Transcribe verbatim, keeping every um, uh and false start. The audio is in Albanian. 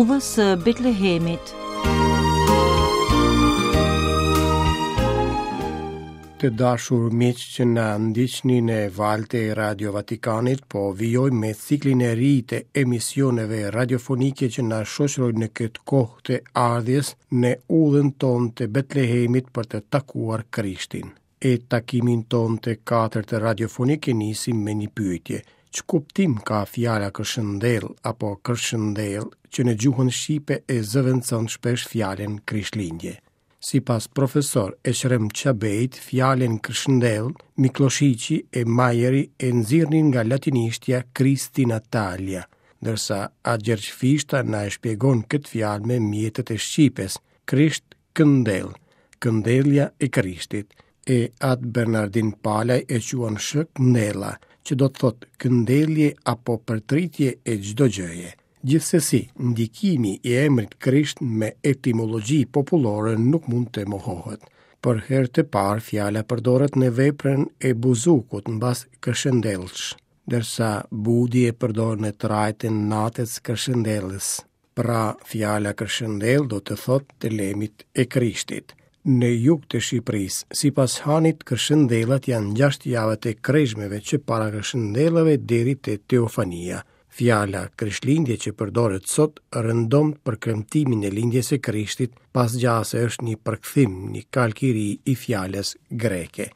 Udhës së Betlehemit. Të dashur miq që na ndiqni në valët e Radio Vatikanit, po vijojmë me ciklin e ri të emisioneve radiofonike që na shoqërojnë në këtë kohë të ardhjes në udhën tonë të Betlehemit për të takuar Krishtin. E takimin tonë të katërt radiofonik e nisim me një pyetje. Ç'kuptim ka fjala kërshëndell apo kërshëndell që në gjuhën shqipe e zëvendëson shpesh fjalën Krishtlindje? Sipas profesor Eqrem Çabejt, fjalën kërshëndell, Mikloshiqi e Majeri e nxirrnin nga latinishtja Christi Natalia, ndërsa At Gjergj Fishta na e shpjegon këtë fjalë me mjetet e shqipes, Krisht këndell, këndellja e Krishtit, e At Bernardin Palaj e quan shkëndella, që do të thotë këndellje apo përtritje e çdo gjëje. Gjithsesi, ndikimi i emrit Krisht me etimologji popullore nuk mund të mohohet. Për herë të parë fjala përdoret në veprën e Buzukut mbas Kërshëndellsh, ndërsa Budi e përdor në trajtën natës Kërshëndellës. Pra, fjala kërshëndell do të thotë të lemit e Krishtit. Në jug të Shqipërisë, sipas Hanit, kërshëndellat janë gjashtë javët e kreshmeve që para kërshëndellave deri te Teofania. Fjala Krishtlindje që përdoret sot rëndom për kremtimin e lindjes së Krishtit, pas gjase është një përkthim, një kalk i ri i fjalës greke.